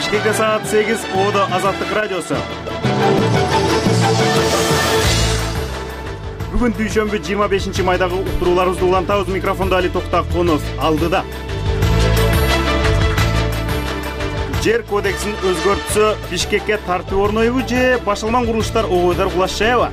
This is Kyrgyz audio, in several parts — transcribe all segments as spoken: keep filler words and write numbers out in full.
Бишкекте саат сегиз, Одо Азаттык радиосу. Бүгүн дүйшөмбү жыйырма бешинчи майдагы уктурууларыбызды улантабыз. Микрофондо Али Токтакунов алдыда. Жер кодексин өзгөртсө Бишкекке тартып орнойбу же башалман курулуштар обойдор кулаш жаябы?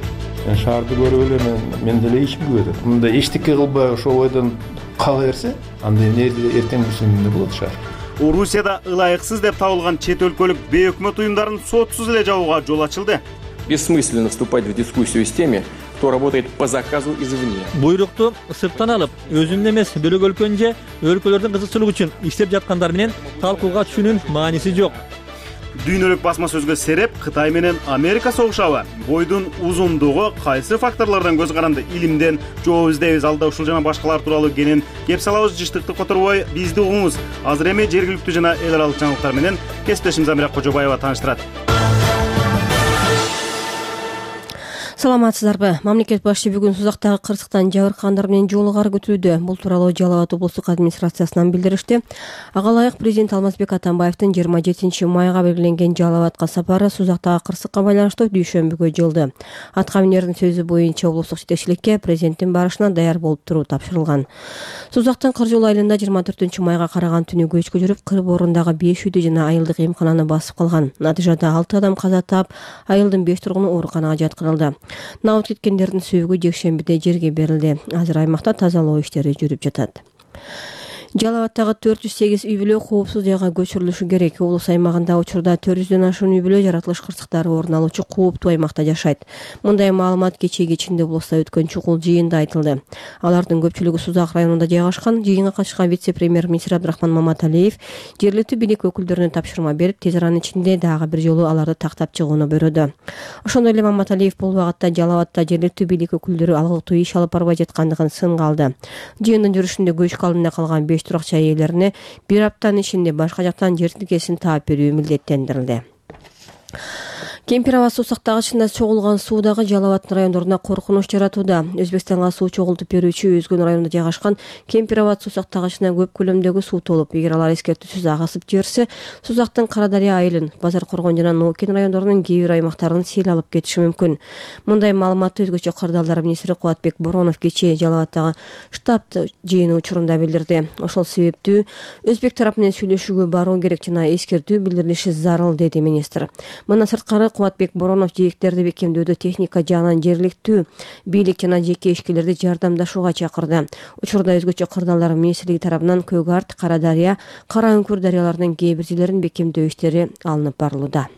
Шаарды көрүп эле мен деле иш билбедим. Мында эчтеке кылбай ошо обойдон кала берсе, анда эмне эртең күнүндө болот шаар. Орусияда ылайыксыз деп табылган чет өлкөлүк бейөкмөт уюмдарын сотсуз эле жабууга жол ачылды. Бессмысленно вступать в дискуссию с теми, кто работает по заказу извне. Буйрукту сырттан алып, өзүнүн эмес бөлөк өлкөнүн же өлкөлөрдүн кызыкчылыгы үчүн иштеп жаткандар менен талкууга түшүүнүн мааниси жок. Дүйнөлүк басма сөзгө сереп Кытай менен Америка согушабы? Бойдун узундугу кайсы факторлордон көз каранды? Илимден жооп издейбиз. Алда ушул жана башкалар тууралуу кенен кеп салабыз. Жыштыкты которбой бизди угуңуз. Азыр эми жергиликтүү жана эл аралык жаңылыктар менен кесиптешим Замира Кожобаева тааныштырат. Саламатсыздарбы? Мамлекет башчы бүгүн Сузактагы кырсыктан жабыркагандар менен жолугары көтөрүүдө. Бул тууралуу Жалал Абад облустук администрациясынан билдиришти. Ага ылайык президент Алмазбек Атамбаевдин жыйырма жетинчи майга белгиленген Жалал Абадка сапары Сузактагы кырсыкка байланыштуу дүйшөмбүгө жылды. Атка минердин сөзү боюнча облустук жетекчиликке президенттин барышына даяр болуп туруу тапшырылган. Сузактын Кыр жол айылында жыйырма төртүнчү майга караган түнү көчкө жүрүп, кыр борундагы беш үйдү жана айылдык эмкананы басып калган. Натыйжада алты адам каза таап, айылдын беш тургуну ооруканага жаткырылды. Набыт кеткендердин сөөгү жекшембиде жерге берилди. Азыр аймакта тазалоо иштери жүрүп жатат. Жалал Абадтагы төрт жүз сегиз үй бүлө коопсуз жайга көчүрүлүшү керек. Облус аймагында учурда төрт жүздөн ашуун үй бүлө жаратылыш кырсыктары орун алуучу кооптуу аймакта жашайт. Мындай маалымат кечээ кечинде облустта өткөн чукул жыйында айтылды. Алардын көпчүлүгү Сузак районунда жайгашкан. Жыйынга катышкан вице-премьер-министр Абдрахман Маматалиев жергиликтүү бийлик өкүлдөрүнө тапшырма берип, тез аранын ичинде дагы бир жолу аларды тактап чыгууну бөйрөдү. Ошондой эле Маматалиев бул убакытта Жалал Абадта жергиликтүү бийлик өкүлдөрү алгылтуу иш алып барбай жаткандыгын сынга алды. Жыйындын жүрүшүндө көчкү алдында калган беш туракча ээлерине бир аптанын ичинде башка жактан жер тилкесин таап берүү милдеттендирилди. Кемпир аба суу сактагычында чогулган суу дагы Жалал Абад райондорунда коркунуч жаратууда. Өзбекстанга суу чогултуп берүүчү Өзгөн районунда жайгашкан Кемпир аба суу сактагычына көп көлөмдөгү суу толуп, эгер алар эскертүүсүз агысып жиберсе, Сузактын Кара Дарыя айылын, Базар Коргон жана Ноокин райондорунун кээ бир аймактарын сел алып кетиши мүмкүн. Мындай маалыматты Өзгөчө кырдаалдар министри Кубатбек Боронов кечээ Жалал Абадтагы штаб жыйыны учурунда билдирди. Ошол себептүү Өзбек тарап менен сүйлөшүүгө баруу керек жана эскертүү билдирилиши зарыл, деди министр. Мындан сырткары Кубатбек Боронов жээктерди бекемдөөдө техника жагынан жергиликтүү бийлик жана жеке ишкерлерди жардамдашууга чакырды. Учурда Өзгөчө кырдаалдар министрлиги тарабынан Көгарт, Кара Дарыя, Кара Үңкүр дарыяларынын кээ бир жерлерин бекемдөө иштери алынып барылууда.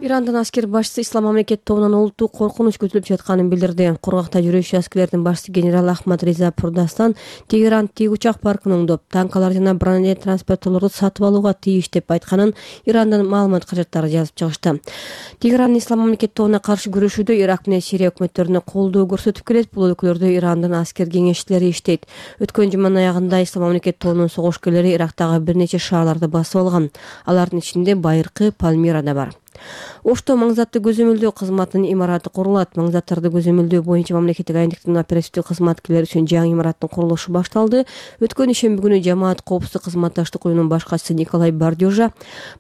Ирандын аскер башчысы Ислам мамлекет тобунан олуттуу коркунуч көтүлүп жатканын билдирди. Кургакта жүрүүчү аскерлердин башчысы генерал Ахмад Риза Пурдастан Тегеран тик учак паркын оңдоп, танкалар жана бронелет транспортторлорду сатып алууга тийиш деп айтканын Ирандын маалымат каражаттары жазып чыгышты. Тегеран Ислам мамлекет тобуна каршы күрөшүүдө Ирак менен Сирия өкмөттөрүнө колдоо көрсөтүп келет. Бул өлкөлөрдө Ирандын аскер кеңешчилери иштейт. Өткөн жуманын аягында Ислам мамлекет тобунун согушкерлери Ирактагы бир нече шаарларды басып алган. Алардын ичинде Байыркы, Пальмира да бар. Ошто маңзаттуу көзөмөлдөө кызматынын имараты курулат. Маңзаттарды көзөмөлдөө боюнча мамлекеттик агенттиктин оперативдик кызматкерлери үчүн жаңы имараттын курулушу башталды. Өткөн ишемби күнү жамаат коопсуздук кызматташтык уюмунун башкачысы Николай Бардёжа,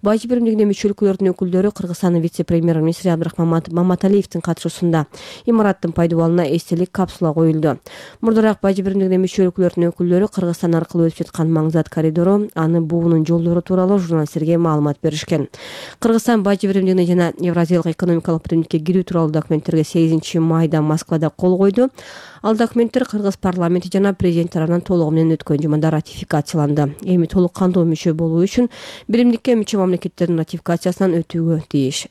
бажы биримдигине мүчө өлкөлөрдүн өкүлдөрү, Кыргызстандын вице-премьер-министри Абдрахман Маматалиевдин катышуусунда имараттын пайдубалына эстелик капсула коюлду. Мурдараак бажы биримдигине мүчө өлкөлөрдүн өкүлдөрү Кыргызстан аркылуу өтүп жаткан Маңзат коридору, аны буунун жолдору тууралуу журналисттерге маалымат беришкен. Кыргызстан бажы биримдигине жана Евразиялык экономикалык биримдикке кирүү тууралуу документтерге сегизинчи майда Москвада кол койду. Ал документтер Кыргыз парламенти жана президент тарабынан толугу менен өткөн жумада ратификацияланды. Эми толук кандуу мүчө болуу үчүн биримдикке мүчө мамлекеттердин ратификациясынан өтүүгө тийиш.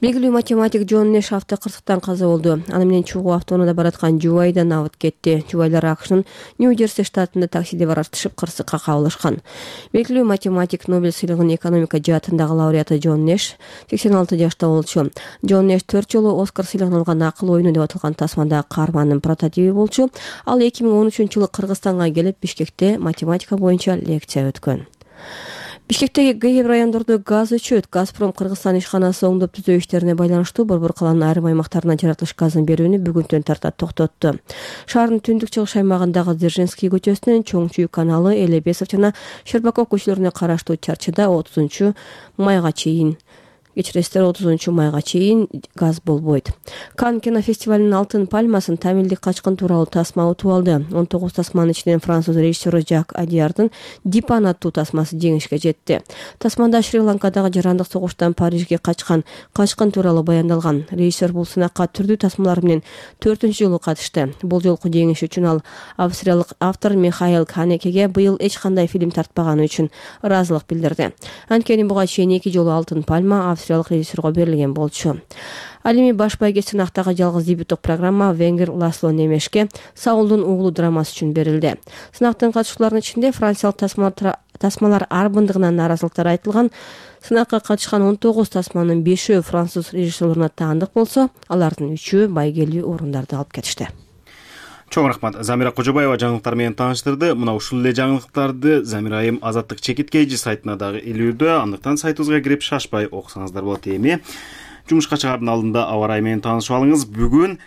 Белгилүү математик Джон Нэш автокырсыктан каза болду. Аны менен чогуу автоунаада бараткан Жубайда набыт кетти. Жубайлар АКШнын Нью-Джерси штатында таксиде баратышып кырсыкка кабылышкан. Белгилүү математик Нобель сыйлыгынын экономика жаатындагы лауреаты Джон Нэш сексен алты жашта болчу. Джон Нэш төрт жолу Оскар сыйлыгын алган акыл оюну деп аталган тасмандагы каармандын прототиби болчу. Ал эки миң он үчүнчү жылы Кыргызстанга келип, Бишкекте математика боюнча лекция өткөн. Бишкектеги кээ бир райондордо газ өчөт. Газпром Кыргызстан ишканасы оңдоп түзөө иштерине байланыштуу борбор калаанын айрым аймактарына жаратылыш газын берүүнү бүгүнтөн тарта токтотту. Шаардын түндүк чыгыш аймагындагы Дзержинский көчөсүнөн Чоң Чүй каналы, Элебесов жана Щербаков көчөлөрүнө караштуу чарчыда отузунчу майга чейин кечиресиздер отузунчу майга чейин газ болбойт. Кан кинофестивалынын алтын пальмасын Тамилдик качкын тууралуу тасма утуп алды. он тогуз тасманын ичинен француз режиссеру Жак Адиярдын Дипан аттуу тасмасы жеңишке жетти. Тасмада Шри-Ланкадагы жарандык согуштан Парижге качкан качкын тууралуу баяндалган. Режиссер бул сынакка түрдүү тасмалар менен төртүнчү жолу катышты. Бул жолку жеңиш үчүн ал австриялык автор Михаил Ханекеге быйыл эч кандай фильм тартпаганы үчүн ыраазылык билдирди. Анткени буга чейин эки жолу алтын пальма австриялык режиссерго берилген болчу. Ал эми баш байге сынактагы жалгыз дебюттук программа Венгер Ласло Немешке Саулдун уулу драмасы үчүн берилди. Сынактын катышууларынын ичинде франциялык тасмалар тасмалар арбындыгынан нааразылыктар айтылган. Сынакка катышкан он тогуз тасманын бешөө француз режиссерлоруна таандык болсо, алардын үчөө байгелүү орундарды алып кетишти. Чоң рахмат. Замира Кожобаева жаңылыктар менен тааныштырды. Мына ушул эле жаңылыктарды Замира айым Азаттык чекиткейжи сайтына дагы илүүдө. Андыктан сайтыбызга кирип шашпай окусаңыздар болот. Эми жумушка чыгаардын алдында аба ырайы менен таанышып алыңыз. Бүгүн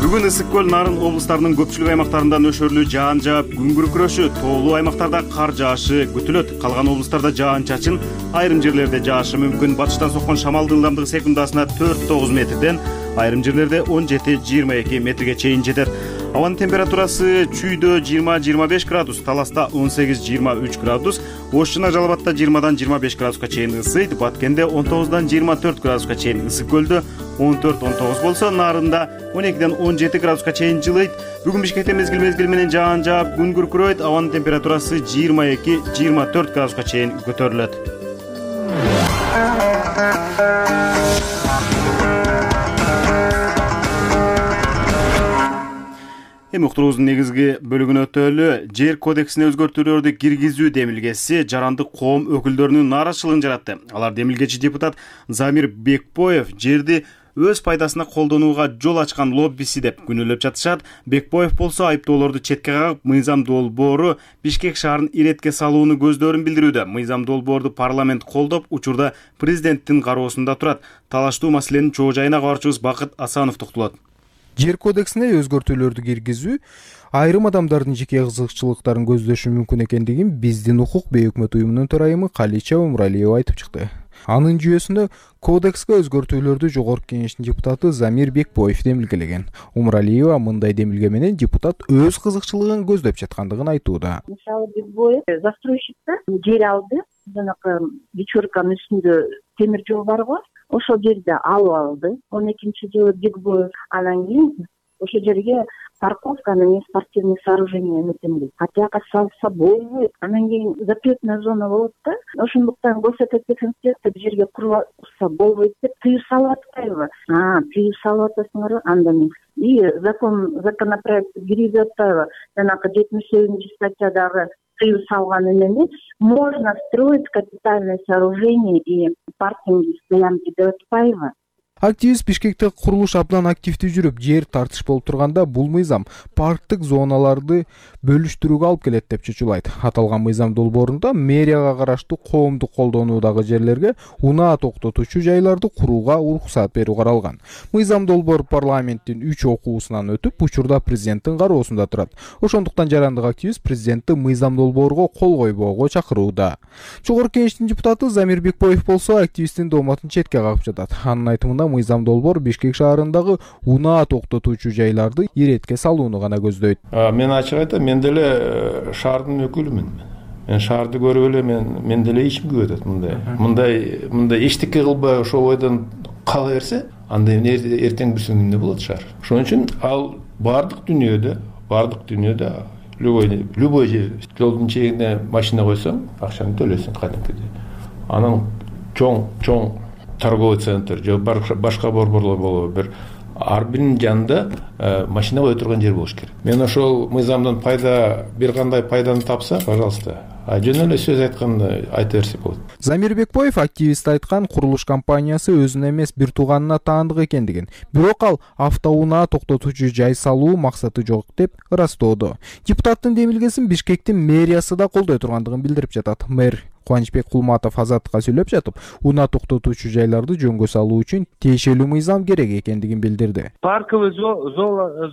Бүгүн Ысык көл, Нарын облустарынын көпчүлүк аймактарында нөшөрлүү жаан жаап, күн күркүрөшү, тоолуу аймактарда кар жаашы күтүлөт. Калган облустарда жаан-чачын, айрым жерлерде жаашы мүмкүн. Батыштан соккон шамалдын ылдамдыгы секундасына төрт тогуз метрден, айрым жерлерде он жети жыйырма эки метрге чейин жетет. Абанын температурасы Чүйдө жыйырма жыйырма беш градус, Таласта он сегиз жыйырма үч градус, Ош жана Жалал-Абадта жыйырмадан жыйырма беш градуска чейин ысыйт. Баткенде он тогуздан жыйырма төрт градуска чейин, Ысык көлдө он төрт он тогуз болсо, Нарында он экиден он жети градуска чейин жылыйт. Бүгүн Бишкекте мезгил мезгил менен жаан жаап, күн күркүрөйт. Абанын температурасы жыйырма эки жыйырма төрт градуска чейин көтөрүлөт. Эми уктуруубуздун негизги бөлүгүнө өтөлү. Жер кодексине өзгөртүүлөрдү киргизүү демилгеси жарандык коом өкүлдөрүнүн нааразычылыгын жаратты. Алар демилгечи депутат Замир Бекбоев жерди өз пайдасына колдонууга жол ачкан лоббиси деп күнөөлөп жатышат. Бекбоев болсо айыптоолорду четке кагып, Мыйзам долбоору Бишкек шаарын иретке салууну көздөрүн билдирүүдө. Мыйзам долбоорду парламент колдоп, учурда президенттин кароосунда турат. Талаштуу маселенин чоо жайына кабарчыбыз Бакыт Асанов токтолот. Жер кодексине өзгөртүүлөрдү киргизүү айрым адамдардын жеке кызыкчылыктарын көздөшү мүмкүн экендигин биздин укук бейөкмөт уюмунун төрайымы Калича Умралиева айтып чыкты. Анын жүйөсүндө кодекске өзгөртүүлөрдү Жогорку Кеңештин депутаты Замир Бекбоев демилгелеген. Умралиева мындай демилге менен депутат өз кызыкчылыгын көздөп жаткандыгын айтууда. Мисалы Бекбоев застройщиктер жер алды, жанакы вечерканын үстүндө темир жол барго, ошол жерде алып алды. он экинчи жылы Бекбоев анан кийин ошол жерге парковканы менен спортивный сооружение эметем дейт. Атяка салса болбойт. Анан кийин запретная зона болот да. Ошондуктан госотек деп жерге курса болбойт деп тыюу салып атпайбы? А, тыюу салып атасыңарбы? Анда эмес. И закон законопроект кирип атпайбы? Жанакы жетимиш сегизинчи статьядагы тыюу салган эмени можно строить капитальное сооружение и паркинги, стоянки деп атпайбы? Активист Бишкекте курулуш абдан активдүү жүрүп, жер тартыш болуп турганда бул мыйзам парктык зоналарды бөлүштүрүүгө алып келет деп чучулайт. Аталган мыйзам долбоорунда мэрияга караштуу коомдук колдонуудагы жерлерге унаа токтотуучу жайларды курууга уруксат берүү каралган. Мыйзам долбоор парламенттин үч окуусунан өтүп, учурда президенттин кароосунда турат. Ошондуктан жарандык активист президентти мыйзам долбоорго кол койбоого чакырууда. Жогорку Кеңештин депутаты Замир Бекбоев болсо активисттин дооматын четке кагып жатат. Анын айтымында мыйзам долбоор Бишкек шаарындагы унаа токтотуучу жайларды иретке салууну гана көздөйт. Мен ачык айтам, мен деле шаардын өкүлүмүн. Мен шаарды көрүп эле мен мен деле ичим күйүп атат мындай. Мындай мындай эчтеке кылбай ошол бойдон кала берсе, анда эртең бирсиң эмне болот шаар. Ошон үчүн ал бардык дүйнөдө, бардык дүйнөдө любой любой жер жолдун чегине машина койсоң, акчаны төлөсүң кадимкидей. Анан чоң чоң торговый центр же башка борборлор болобу, бир ар биринин жанында машина кое турган жер болуш керек. Мен ошол мыйзамдан пайда бир кандай пайданы тапса, пожалуйста, а жөн эле сөз айтканда айта берсе болот. Замир Бекбоев активист айткан курулуш компаниясы өзүнө эмес бир тууганына таандык экендигин, бирок ал автоунаа токтотуучу жай салуу максаты жок деп ырастоодо. Депутаттын демилгесин Бишкектин мэриясы да колдой тургандыгын билдирип жатат. Мэр Кубанычбек Кулматов Азаттыкка сүйлөп жатып, унаа токтотуучу жайларды жөнгө салуу үчүн тиешелүү мыйзам керек экендигин билдирди. Парковый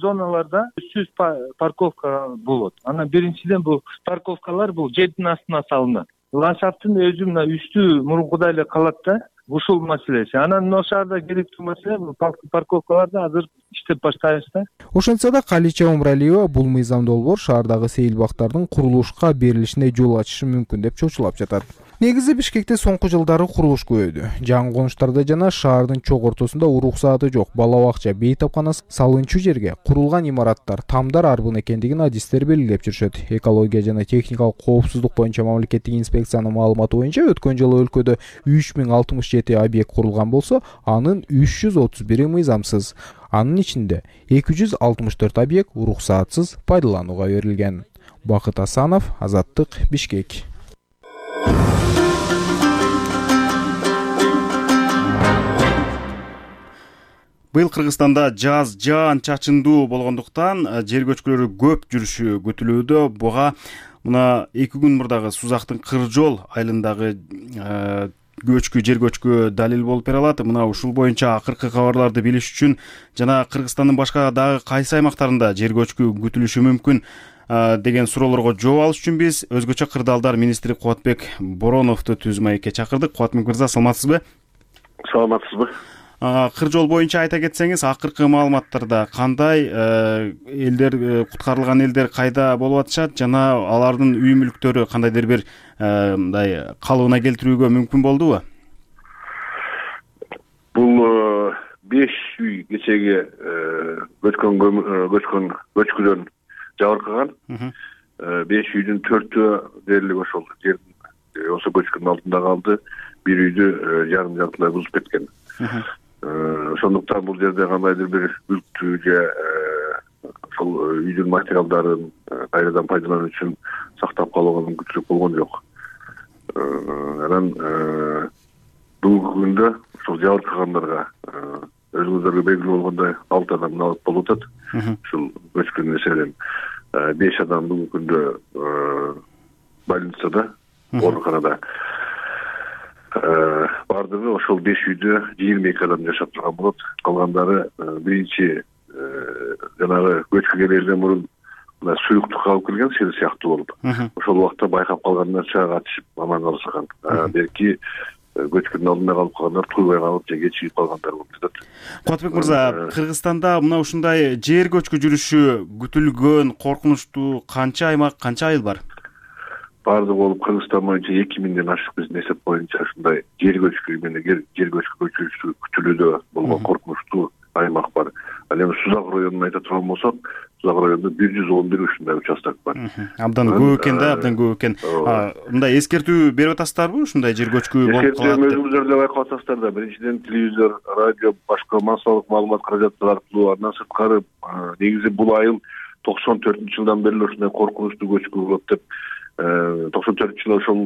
зоналарда үч жүз парковка болот. Анан биринчиден бул парковкалар бул жердин астына салынат. Ландшафттын өзү мына үстү мурункудай эле калат да. Ушул маселеси. Анан мына шаарда керектүү маселе бул парковкаларда азыр иштеп баштайбыз да. Ошентсе да Калича Умралиева бул мыйзам долбоор шаардагы сейилбактардын курулушка берилишине жол ачышы мүмкүн деп чочулап жатат. Негизи Бишкекте соңку жылдары курулуш көбөйдү. Жаңы конуштарда жана шаардын чок ортосунда уруксааты жок бала бакча, бейтапкана салынчу жерге курулган имараттар тамдар арбын экендигин адистер белгилеп жүрүшөт. Экология жана техникалык коопсуздук боюнча мамлекеттик инспекциянын маалыматы боюнча өткөн жылы өлкөдө үч миң алтымыш жети объект курулган болсо, анын үч жүз отуз бири мыйзамсыз. Анын ичинде эки жүз алтымыш төрт объект уруксаатсыз пайдаланууга берилген. Бакыт Асанов, Азаттык, Бишкек. Быйыл Кыргызстанда жаз жаан чачындуу болгондуктан жер көчкүлөрү көп жүрүшү күтүлүүдө. Буга мына эки күн мурдагы Сузактын Кыржол айылындагы көчкү жер көчкү далил болуп бере алат. Мына ушул боюнча акыркы кабарларды билиш үчүн жана Кыргызстандын башка дагы кайсы аймактарында жер көчкү күтүлүшү мүмкүн деген суроолорго жооп алыш үчүн биз өзгөчө кырдаалдар министри Кубатбек Бороновду түз маекке чакырдык. Кубатбек мырза, саламатсызбы? Саламатсызбы. Кыржол боюнча айта кетсеңиз, акыркы маалыматтарда кандай элдер, куткарылган элдер кайда болуп атышат жана алардын үй мүлктөрү кандайдыр бир мындай калыбына келтирүүгө мүмкүн болдубу? Бул беш үй кечеге көчкөн көчкөн көчкүдөн жабыркаган. беш үйдүн төртөө дээрлик ошол жердин осы көчкүнүн алдында калды. Бир үйдү жарым жартылай бузуп кеткен. Ошондуктан бул жерде кандайдыр бир мүлктү же ошол үйдүн материалдарын кайрадан пайдалануу үчүн сактап калууга мүмкүнчүлүк болгон жок. Анан бүгүнкү күндө ошол жабыркагандарга өзүңүздөргө белгилүү болгондой алты адам алып болуп атат. Ушул көчкүн эсебинен беш адам бүгүнкү күндө больницада, ооруканада. Бардыгы ошол беш үйдө жыйырма эки адам жашап турган болот. Калгандары биринчи жанагы көчкү келерден мурун мына суюктукка алып келген сел сыяктуу болуп. Ошол убакта байкап калгандар чыга катышып аман калышкан. Белки көчкүнүн алдында калып калгандар туйбай калып же кечигип калгандар болуп жатат. Кубатбек мырза, Кыргызстанда мына ушундай жер көчкү жүрүшү күтүлгөн, коркунучтуу канча аймак, канча айыл бар? Бардыгы болуп Кыргызстан боюнча эки миңден ашык биздин эсеп боюнча ушундай жер көчкү менен жер көчкү көчүрүшү күтүлүүдө болгон коркунучтуу аймак бар. Ал эми Сузак районун айта турган болсок, Сузак районунда бир жүз он бир ушундай участок бар. Абдан көп экен да, абдан көп экен. Мындай эскертүү берип атасыздарбы ушундай жер көчкү болуп калат деп? Өзүңүздөр да байкап атасыздар да. Биринчиден телевизор, радио, башка массалык маалымат каражаттары аркылуу, андан сырткары негизи бул айыл токсон төртүнчү жылдан бери ушундай коркунучтуу көчкү болот деп токсон төртүнчү жылы ошол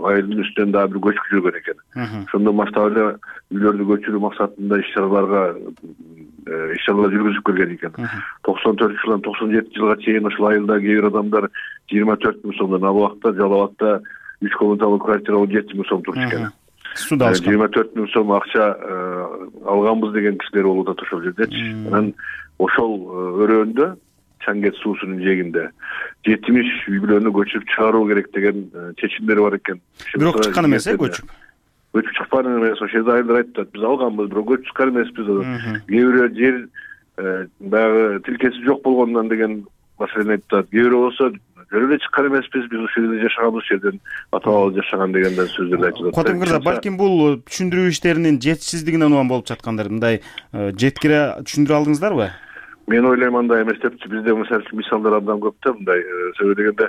айылдын үстүнөн дагы бир көчкү жүргөн экен. Ошондон баштап эле үйлөрдү көчүрүү максатында иш-чараларга иш-чаралар жүргүзүп келген экен. токсон төртүнчү жылдан токсон жетинчи жылга чейин ошол айылда кээ бир адамдар жыйырма төрт миң сомдон, ал убакта Жалал абадта үч комнаталуу квартира он жети миң сом турчу экен. Суда алышкан. жыйырма төрт миң сом акча алганбыз деген кишилер болуп атат ошол жердечи. Анан ошол өрөөндө Чаңгет суусунун жээгинде жетимиш үй бүлөнү көчүрүп чыгаруу керек деген чечимдер бар экен. Бирок чыккан эмес э көчүп. Көчүп чыккан эмес. Ошол жерде айылдар айтат, биз алганбыз, бирок көчүп чыккан эмеспиз. Кээ бирөө жер баягы тилкеси жок болгондон деген маселени айтат. Кээ бирөө болсо жөн эле чыккан эмеспиз, биз ушул жерде жашаганбыз, ушул жерден ата бабабыз жашаган дегенден сөздөрдү айтып атат. Кубатбек мырза, балким бул түшүндүрүү иштеринин жетишсиздигинен улам болуп жаткандыр. Мындай жеткире түшүндүрө алдыңыздарбы? Мен ойлойм андай эмес депчи. Бизде мисалдар абдан көп да мындай себеби дегенде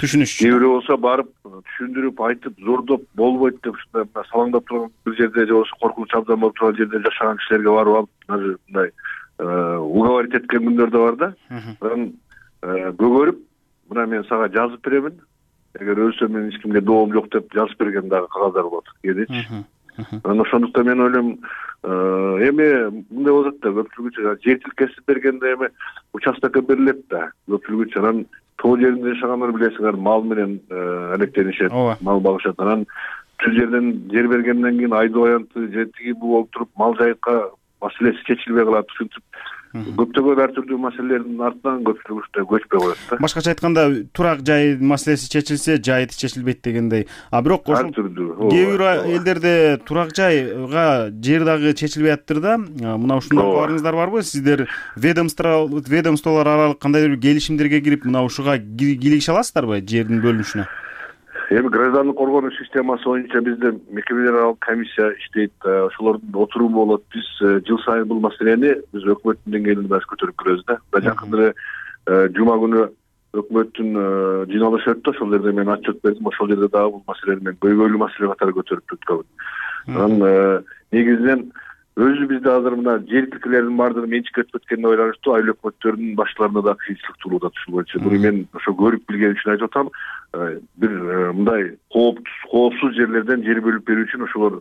түшүнүш. Кээ бирөө болсо барып түшүндүрүп айтып зордоп болбойт деп ушундай салаңдап турган бир жерде же болбосо коркунуч абдан болуп турган жерде жашаган кишилерге барып алып даже мындай уговорить эткен күндөр да бар да. Анан көгөрүп, мына мен сага жазып беремин. эгер өлсөм мен эч кимге доом жок деп жазып берген дагы кагаздар болот кээдечи. Анан ошондуктан мен ойлойм, эми мындай болот да, көпчүлүгү жер тилкесип бергенде эми участокко берилет да, көпчүлүгү анан тоо жеринде жашагандар билесиңер, мал менен алектенишет, мал багышат. Анан түз жерден жер бергенден кийин айдоо аянты же тиги бул болуп туруп мал жайыкка маселеси чечилбей калат. Ушинтип көптөгөн ар түрдүү маселелердин артынан көпчүлүк көчпөй коет да. Башкача айтканда, турак жай маселеси чечилсе, жайыты чечилбейт дегендей. А бирок ошол кээ бир элдерде турак жайга жер дагы чечилбей атыптыр да. Мына ушундай барыңыздар барбы? Сиздер ведомство ведомстволор аралык кандайдыр бир келишимдерге кирип, мына ушуга кийлигише аласыздарбы жердин бөлүнүшүнө? Эми граждандык коргонуу системасы боюнча бизде мекемелер аралык комиссия иштейт, ошолордун отуруу болот. Биз жыл сайын бул маселени биз өкмөттүн деңгээлинде баш көтөрүп келебиз да. Жакында эле жума күнү өкмөттүн жыйналышы өттү, ошол жерде мен отчет бердим. Ошол жерде дагы бул маселени мен көйгөйлүү маселе катары көтөрүп өткөм. Анан негизинен өзү бизде азыр мына жер тилкелердин баардыгы менчикке өтүп кеткенине байланыштуу айыл өкмөттөрдүн баштарына да кыйынчылык туулуда ушул боюнча. Буну мен ошо көрүп билген үчүн айтып атам. Бир мындай коопсуз жерлерден жер бөлүп берүү үчүн ошолор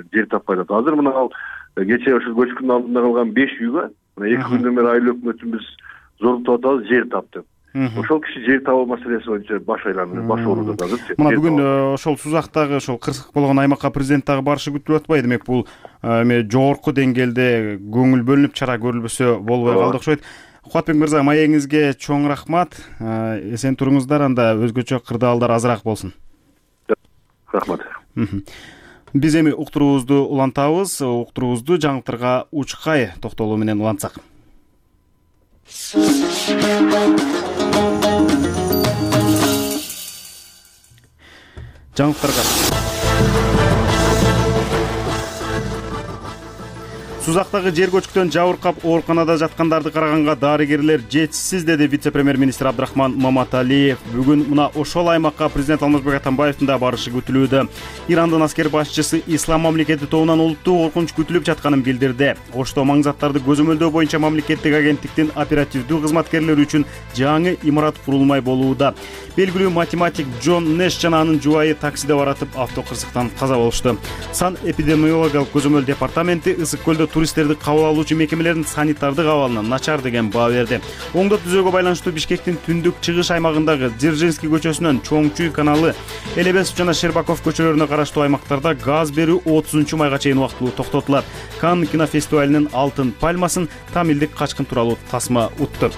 жер таппай атат. Азыр мына ал кечээ ошол көчкүнүн алдында калган беш үйгө мына эки күндөн бери айыл өкмөтүн биз зордуп атабыз, жер тап деп. Ошол киши жер табуу маселеси боюнча баш айланып, баш ооруда азыр. Мына бүгүн ошол Сузактагы ошол кырсык болгон аймакка президент дагы барышы күтүлүп атпайбы? Демек бул эми жогорку деңгээлде көңүл бөлүнүп чара көрүлбөсө болбой калды окшойт. Кубатбек мырза, маегиңизге чоң рахмат. Эсен туруңуздар, анда өзгөчө кырдаалдар азыраак болсун. Рахмат. Биз эми уктуруубузду улантабыз. Уктуруубузду жаңылыктарга учкай токтолуу менен улантсак. Жаңылыктарга Сузактагы жер көчкүдөн жабыркап ооруканада жаткандарды караганга дарыгерлер жетишсиз, деди вице-премьер-министр Абдрахман Маматалиев. Бүгүн мына ошол аймакка президент Алмазбек Атамбаевдин да барышы күтүлүүдө. Ирандын аскер башчысы Ислам мамлекети тобунан улуттуу коркунуч күтүлүп жатканын билдирди. Ошто маңзаттарды көзөмөлдөө боюнча мамлекеттик агенттиктин оперативдүү кызматкерлери үчүн жаңы имарат курулмай болууда. Белгилүү математик Джон Нэш жана анын жубайы таксиде баратып автокырсыктан каза болушту. Сан эпидемиологиялык көзөмөл департаменти ысык көлдө туристтерди кабыл алуучу мекемелердин санитардык абалына начар деген баа берди. Оңдоп түзөөгө байланыштуу Бишкектин түндүк чыгыш аймагындагы Дзержинский көчөсүнөн Чоңчуй каналы, Элебесов жана Щербаков көчөлөрүнө караштуу аймактарда газ берүү отузунчу майга чейин убактылуу токтотулат. Канн кинофестивалинин алтын пальмасын Тамилдик качкын тууралуу тасма утту.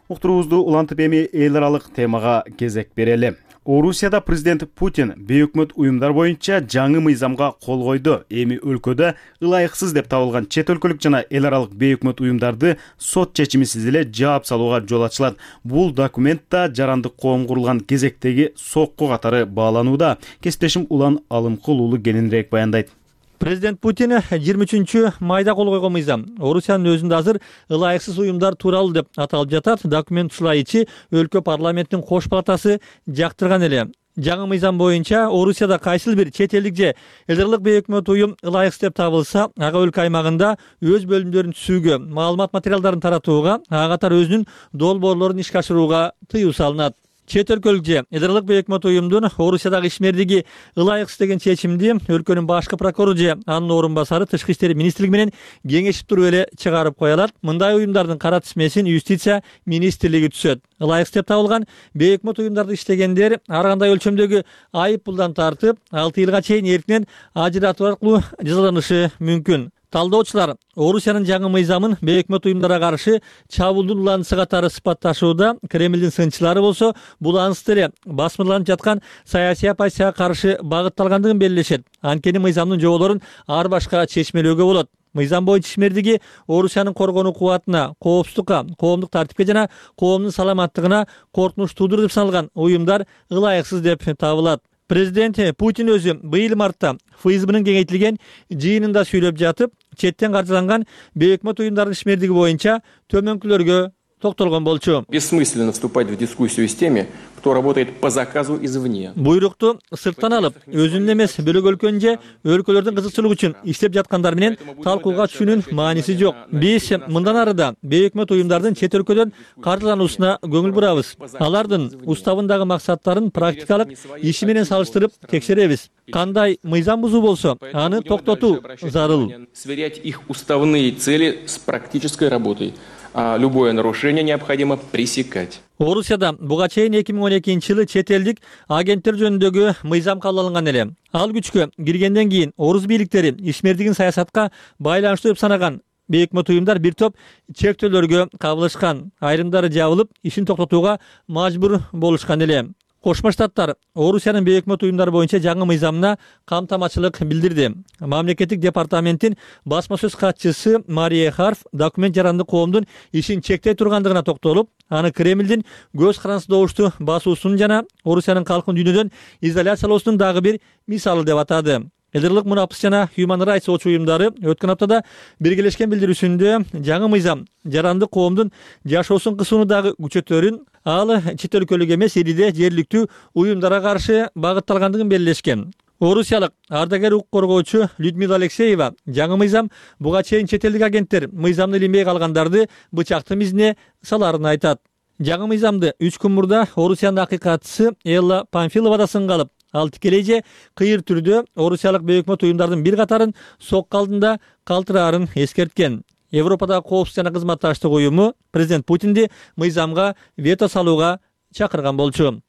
Уктуруубузду улантып эми эл аралык темага кезек берели. Орусияда президент Путин бейөкмөт уюмдар боюнча жаңы мыйзамга кол койду. Эми өлкөдө ылайыксыз деп табылган чет өлкөлүк жана эл аралык бейөкмөт уюмдарды сот чечимисиз эле жаап салууга жол ачылат. Бул документта жарандык коом курулган кезектеги сокку катары бааланууда. Кесиптешим Улан Алымкул уулу кененирээк баяндайт. Президент Путин жыйырма үчүнчү майда кол койгон мыйзам Орусиянын өзүндө азыр ылайыксыз уюмдар тууралуу деп аталып жатат. Документ ушулайчы өлкө парламенттин кош палатасы жактырган эле. Жаңы мыйзам боюнча Орусияда кайсыл бир чет элдик же эл аралык бейөкмөт уюм ылайыксыз деп табылса, ага өлкө аймагында өз бөлүмдөрүн түзүүгө, маалымат материалдарын таратууга, ага катары өзүнүн долбоорлорун ишке ашырууга тыюу салынат. Чет өлкөлүк же эл аралык бейөкмөт уюмдун Орусиядагы ишмердиги ылайыксыз деген чечимди өлкөнүн башкы прокурору же анын орун басары Тышкы иштер министрлиги менен кеңешип туруп эле чыгарып кое алат. Мындай уюмдардын кара тизмесин юстиция министрлиги түзөт. Ылайыксыз деп табылган бейөкмөт уюмдарды иштегендер ар кандай өлчөмдөгү айып пулдан тартып, алты жылга чейин эркинен ажыратуу аркылуу жазаланышы мүмкүн. Талдоочулар Орусиянын жаңы мыйзамын бейөкмөт уюмдарга каршы чабуулдун уланысы катары сыпатташууда. Кремлдин сынчылары болсо бул анысты эле басмырланып жаткан саясий оппозицияга каршы багытталгандыгын белгилешет. Анткени мыйзамдын жоболорун ар башка чечмелөөгө болот. Мыйзам боюнча ишмердиги Орусиянын коргонуу кубатына, коопсуздукка, коомдук тартипке жана коомдун саламаттыгына коркунуч туудурду деп саналган уюмдар ылайыксыз деп табылат. Президент Путин өзү быйыл мартта ФСБнын кеңейтилген жыйынында сүйлөп жатып, четтен каржыланган бейөкмөт уюмдардын ишмердиги боюнча төмөнкүлөргө токтолгон болчу. Бессмысленно вступать в дискуссию с теми, кто работает по заказу извне. Буйрукту сырттан алып, өзүнүн эмес бөлөк өлкөнүн же өлкөлөрдүн кызыкчылыгы үчүн иштеп жаткандар менен талкууга түшүүнүн мааниси жок. Биз мындан ары да бейөкмөт уюмдардын чет өлкөдөн каржылануусуна көңүл бурабыз. Алардын уставындагы максаттарын практикалык иши менен салыштырып текшеребиз. Кандай мыйзам бузуу болсо, аны токтотуу зарыл. Сверять их уставные цели с практической работой. А любое нарушение необходимо пресекать. Орусияда буга чейин эки миң он экинчи жылы чет элдик агенттер жөнүндөгү мыйзам кабыл алынган эле. Ал күчкө киргенден кийин орус бийликтери ишмердигин саясатка байланыштуу деп санаган бейөкмөт уюмдар бир топ чектөөлөргө кабылышкан. Айрымдары жабылып, ишин токтотууга мажбур болушкан эле. Кошмо Штаттар Орусиянын бейөкмөт уюмдары боюнча жаңы мыйзамына камтамачылык билдирди. Мамлекеттик департаменттин басма сөз катчысы Мария Харф документ жаранды коомдун ишин чектей тургандыгына токтолуп, аны Кремлдин көз карансыз добушту басуусунун жана Орусиянын калкын дүйнөдөн изоляциялоосунун дагы бир мисалы деп атады. Элдерлик мунапыс жана Human Rights Watch уюмдары өткөн аптада биргелешкен билдирүүсүндө жаңы мыйзам жаранды коомдун жашоосун кысууну дагы күчөтөрүн, ал чет өлкөлүк эмес ириде жергиликтүү уюмдарга каршы багытталгандыгын белгилешкен. Орусиялык ардагер укук коргоочу Людмила Алексеева жаңы мыйзам буга чейин чет элдик агенттер мыйзамды илинбей калгандарды бычактын изине саларын айтат. Жаңы мыйзамды үч күн мурда Орусиянын акыйкатчысы Элла Памфилова да сынга алып, ал тикелей же кыйыр түрдө орусиялык бейөкмөт уюмдардын бир катарын сокко алдында калтыраарын эскерткен. Европадагы коопсуздук жана кызматташтык уюму президент Путинди мыйзамга вето салууга чакырган болчу.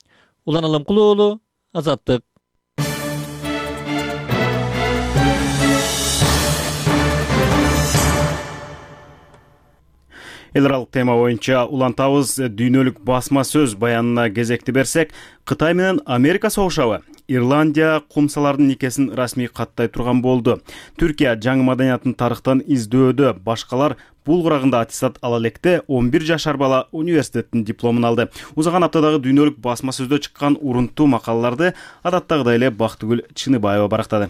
Улан Алымкулуу уулу, Азаттык. Эл аралык тема боюнча улантабыз. Дүйнөлүк басма сөз баянына кезекти берсек, Кытай менен Америка согушабы? Ирландия кумсалардын никесин расмий каттай турган болду. Түркия жаңы маданиятын тарыхтан издөөдө, башкалар бул курагында аттестат ала электе он бир жашар бала университеттин дипломун алды. Узган аптадагы дүйнөлүк басма сөздө чыккан урунттуу макалаларды адаттагыдай эле Бактыгүл Чыныбаева барактады.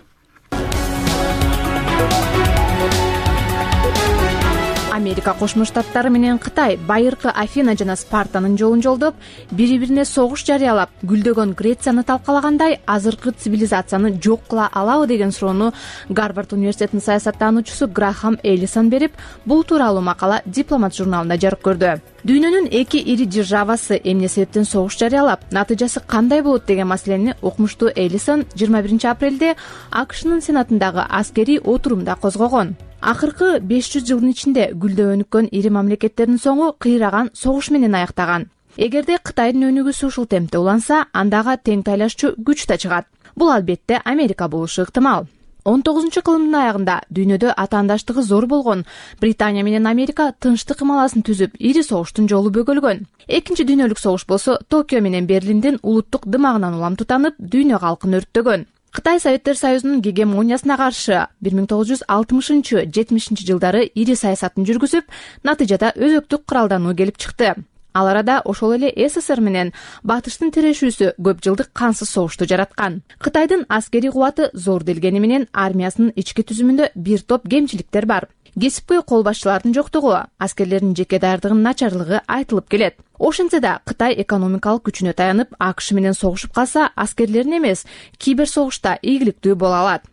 Америка Кошмо Штаттары менен Кытай байыркы Афина жана Спартанын жолун жолдоп, бири-бирине согуш жарыялап, гүлдөгөн Грецияны талкалагандай, азыркы цивилизацияны жок кыла алабы деген суроону Гарвард университетинин саясаттануучусу Грахам Эллисон берип, бул тууралуу макала Дипломат журналында жарык көрдү. Дүйнөнүн эки ири державасы эмне себептен согуш жарыялап, натыйжасы кандай болот деген маселени окумуштуу Эллисон жыйырма биринчи апрелде АКШнын сенатындагы аскерий отурумда козгогон. Акыркы беш жүз жылдын ичинде гүлдөп өнүккөн ири мамлекеттердин соңу кыйраган согуш менен аяктаган. Эгерде Кытайдын өнүгүүсү ушул темпте уланса, андагы тең тайлашчу күч да чыгат. Бул албетте Америка болушу ыктымал. он тогузунчу кылымдын аягында дүйнөдө атаандаштыгы зор болгон Британия менен Америка тынчтык ымаласын түзүп, ири согуштун жолу бөгөлгөн. Экинчи дүйнөлүк согуш болсо Токио менен Берлиндин улуттук дымагынан улам тутанып, дүйнө калкын өрттөгөн. Кытай Советтер Союзунун гегемониясына каршы бир миң тогуз жүз алтымышынчы жетимишинчи жылдары ири саясатын жүргүзүп, натыйжада өзөктүк кыралдануу келип чыкты. Ал арада ошол эле СССР менен Батыштын тирешүүсү көп жылдык кансыз согушту жараткан. Кытайдын аскерий кубаты зор делгени менен армиясынын ички түзүмүндө бир топ кемчиликтер бар. Кесипкөй кол башчылардын жоктугу, аскерлердин жеке даярдыгынын начарлыгы айтылып келет. Ошентсе да Кытай экономикалык күчүнө таянып, АКШ менен согушуп калса, аскерлерин эмес, кибер согушта ийгиликтүү боло алат.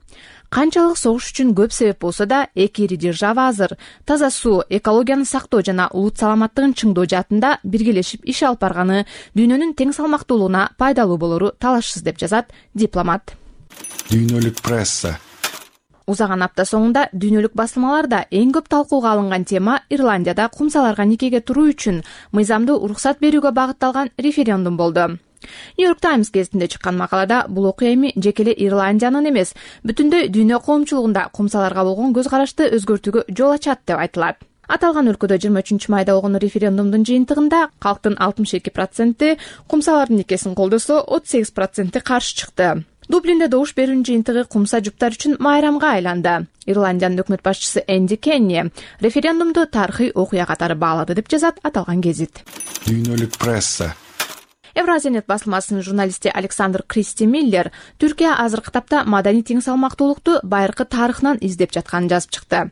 Канчалык согуш үчүн көп себеп болсо да, эки ири держава азыр таза суу, экологияны сактоо жана улут саламаттыгын чыңдоо жаатында биргелешип иш алып барганы дүйнөнүн тең салмактуулугуна пайдалуу болору талашсыз деп жазат Дипломат. Дүйнөлүк пресса. Узаган апта соңунда дүйнөлүк басылмаларда эң көп талкууга алынган тема Ирландияда кумсаларга никеге туруу үчүн мыйзамды уруксат берүүгө багытталган референдум болду. Нью-Йорк Таймс гезитинде чыккан макалада бул окуя эми жеке эле Ирландиянын эмес, бүтүндөй дүйнө коомчулугунда кумсаларга болгон көз карашты өзгөртүүгө жол ачат деп айтылат. Аталган өлкөдө жыйырма үчүнчү майда болгон референдумдун жыйынтыгында калктын алтымыш эки проценти кумсалардын никесин колдосо, отуз сегиз проценти каршы чыкты. Дублинде добуш берүүнүн жыйынтыгы кумса жуптар үчүн майрамга айланды. Ирландиянын өкмөт башчысы Энди Кенни референдумду тарыхый окуя катары баалады деп жазат аталган гезит. Дүйнөлүк пресса. Евразия-нет басылмасынын журналисти Александр Кристи Миллер Түркия азыркы тапта маданий тең салмактуулукту байыркы тарыхынан издеп жатканын жазып чыкты.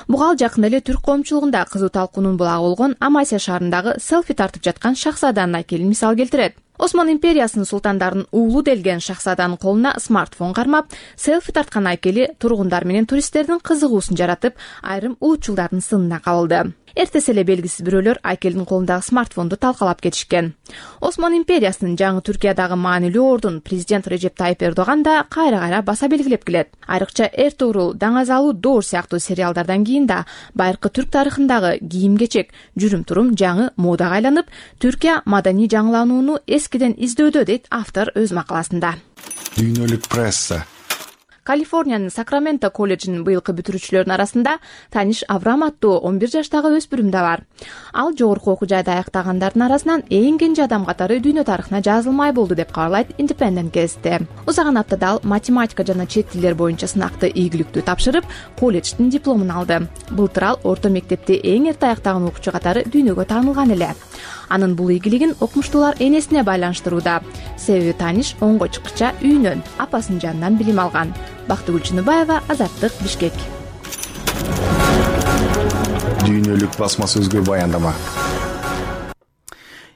Буга ал жакында эле түрк коомчулугунда кызуу талкуунун булагы болгон Амасия шаарындагы селфи тартып жаткан шахзаданын айкелин мисал келтирет. Осман империясынын султандарынын уулу делген шахзаданын колуна смартфон кармап, селфи тарткан айкели тургундар менен туристтердин кызыгуусун жаратып, айрым улутчулдардын сынына кабылды. Эртеси эле белгисиз бирөөлөр айкелдин колундагы смартфонду талкалап кетишкен. Осман империясынын жаңы Түркиядагы маанилүү ордун президент Режеп Тайип Эрдоган да кайра-кайра баса белгилеп келет. Айрыкча Эртугрул, Даңазалуу Доор сыяктуу сериалдардан кийин да байыркы түрк тарыхындагы кийим-кечек, жүрүм-турум жаңы модага айланып, Түркия маданий жаңыланууну эскиден издөдө дейт автор өз макаласында. Дүйнөлүк пресса. Калифорниянын Сакраменто колледжинин быйылкы бүтүрүүчүлөрүнүн арасында Таниш Аврам аттуу он бир жаштагы өспүрүм да бар. Ал жогорку окуу жайды аяктагандардын арасынан эң кенже адам катары дүйнө тарыхына жазылмай болду деп кабарлайт Independent гезити. Узаган аптада ал математика жана чет тилдер боюнча сынакты ийгиликтүү тапшырып, колледждин дипломун алды. Былтыр ал орто мектепти эң эрте аяктаган окуучу катары дүйнөгө таанылган эле. Анын бул ийгилигин окумуштуулар энесине байланыштырууда. Себеби Таниш онго чыккыча үйүнөн, апасынын жанынан билим алган. Бактыгүл Чыныбаева, Азаттык, Бишкек. Дүйнөлүк басма сөзгө баяндама.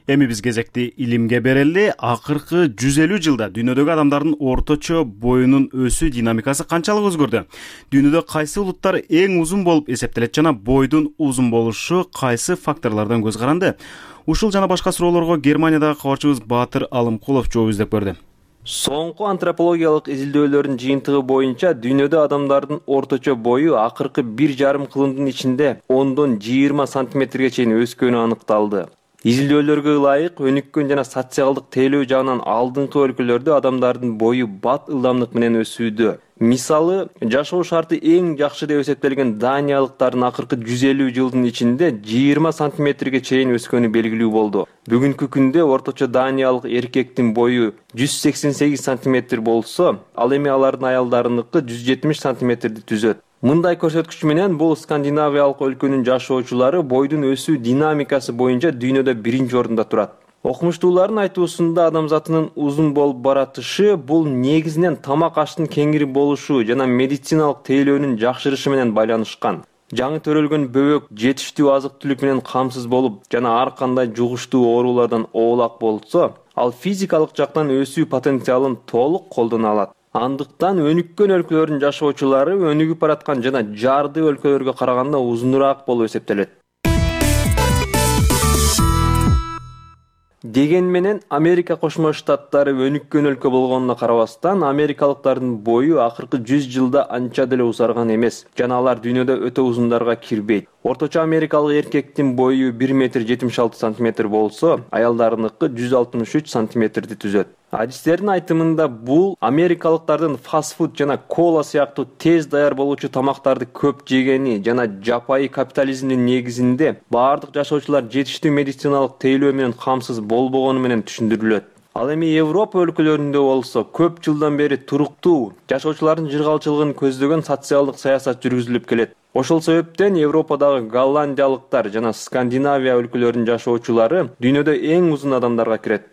Эми биз кезекти илимге берели. Акыркы жүз элүү жылда дүйнөдөгү адамдардын орточо боюнун өсүү динамикасы канчалык өзгөрдү? Дүйнөдө кайсы улуттар эң узун болуп эсептелет жана бойдун узун болушу кайсы факторлордон көз каранды? Ушул жана башка суроолорго Германиядагы кабарчыбыз Баатыр Алымкулов жооп издеп көрдү. Соңку антропологиялык изилдөөлөрдүн жыйынтыгы боюнча дүйнөдө адамдардын орточо бою акыркы бир жарым кылымдын ичинде ондон жыйырма сантиметрге чейин өскөнү аныкталды. Изилдөөлөргө ылайык өнүккөн жана социалдык тейлөө жагынан алдыңкы өлкөлөрдө адамдардын бою бат ылдамдык менен өсүүдө. Мисалы, жашоо шарты эң жакшы деп эсептелген даниялыктардын акыркы жүз элүү жылдын ичинде жыйырма сантиметрге чейин өскөнү белгилүү болду. Бүгүнкү күндө орточо даниялык эркектин бою жүз сексен сегиз сантиметр болсо, ал эми алардын аялдарыныкы жүз жетимиш сантиметрди түзөт. Мындай көрсөткүч менен бул скандинавиялык өлкөнүн жашоочулары бойдун өсүү динамикасы боюнча дүйнөдө биринчи орунда турат. Окумуштуулардын айтуусунда адамзатынын узун болуп баратышы бул негизинен тамак аштын кеңири болушу жана медициналык тейлөөнүн жакшырышы менен байланышкан. Жаңы төрөлгөн бөбөк жетиштүү азык-түлүк менен камсыз болуп жана ар кандай жугуштуу оорулардан оолак болсо, ал физикалык жактан өсүү потенциалын толук колдоно алат. Андыктан өнүккөн өлкөлөрдүн жашоочулары өнүгүп бараткан жана жарды өлкөлөргө караганда узунураак болуп эсептелет. Деген менен Америка Кошмо Штаттары өнүккөн өлкө болгонуна карабастан, америкалыктардын бою акыркы жүз жылда анча деле узарган эмес, жана алар дүйнөдө өтө узундарга кирбейт. Орточо америкалык эркектин бою бир метр жетимиш алты сантиметр болсо, аялдарыныкы жүз алтымыш үч сантиметрди түзөт. Адистердин айтымында бул америкалыктардын фастфуд жана кола сыяктуу тез даяр болуучу тамактарды көп жегени жана жапайы капитализмдин негизинде баардык жашоочулар жетиштүү медициналык тейлөө менен камсыз болбогону менен түшүндүрүлөт. Ал эми Европа өлкөлөрүндө болсо көп жылдан бери туруктуу жашоочулардын жыргалчылыгын көздөгөн социалдык саясат жүргүзүлүп келет. Ошол себептен Европадагы голландиялыктар жана Скандинавия өлкөлөрүнүн жашоочулары дүйнөдө эң узун адамдарга кирет.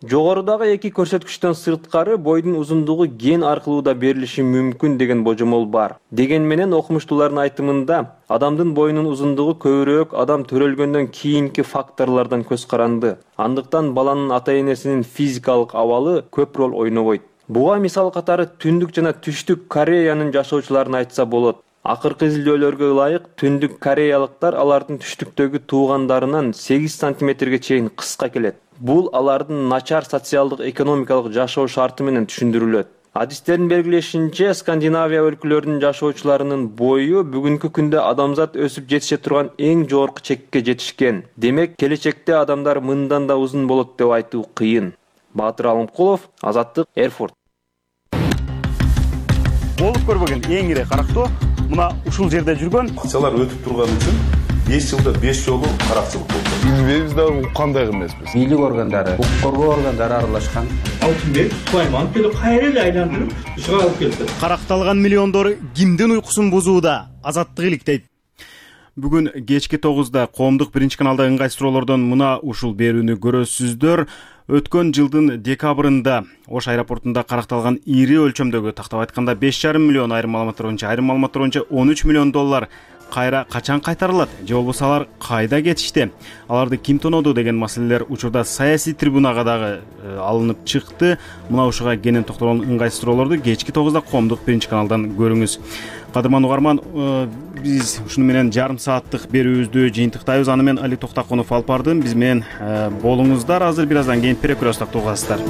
Жогорудагы эки көрсөткүчтөн сырткары бойдун узундугу ген аркылуу да берилиши мүмкүн деген божомол бар. Деген менен окумуштуулардын айтымында адамдын боюнун узундугу көбүрөөк адам төрөлгөндөн кийинки факторлордон көз каранды. Андыктан баланын ата-энесинин физикалык абалы көп роль ойнобойт. Буга мисал катары Түндүк жана Түштүк Кореянын жашоочуларын айтса болот. Акыркы изилдөөлөргө ылайык Түндүк Кореялыктар алардын түштүктөгү туугандарынан сегиз сантиметрге чейин кыска келет. Бул алардын начар социалдык экономикалык жашоо шарты менен түшүндүрүлөт. Адистердин белгилешинче, Скандинавия өлкөлөрүнүн жашоочуларынын бою бүгүнкү күндө адамзат өсүп жетише турган эң жогорку чекке жетишкен. Демек, келечекте адамдар мындан да узун болот деп айтуу кыйын. Баатыр Алымкулов, Азаттык, Эрфурт. Болуп көрбөгөн эң ири карактоо мына ушул жерде жүргөн. Акчалар өтүп турган үчүн беш жылда беш жолу каракчылык болду. Билбейбиз да уккандай эмеспиз. Бийлик органдары, укук коргоо органдары аралашкан. Алтынбек Сулайман келип кайра эле айландырып чыгарып келди. Каракталган миллиондор кимдин уйкусун бузууда? Азаттык иликтейт. Бүгүн кечки тогузда коомдук биринчи каналда ыңгай суроолордон мына ушул берүүнү көрөсүздөр. Өткөн жылдын декабрында Ош аэропортунда каракталган ири өлчөмдөгү, тактап айтканда беш жарым миллион, айрым маалыматтар боюнча айрым маалыматтар боюнча он үч миллион доллар кайра качан кайтарылат же болбосо алар кайда кетишти, аларды ким тоноду деген маселелер учурда саясий трибунага дагы алынып чыкты. Мына ушуга кенен токтолгон ыңгай суроолорду кечки тогузда коомдук биринчи каналдан көрүңүз. Кадырман угарман, биз ушуну менен жарым сааттык берүүбүздү жыйынтыктайбыз. Аны мен Алик Токтакунов алып бардым. Биз менен болуңуздар. Азыр бир аздан кийин перекур уктасыздар.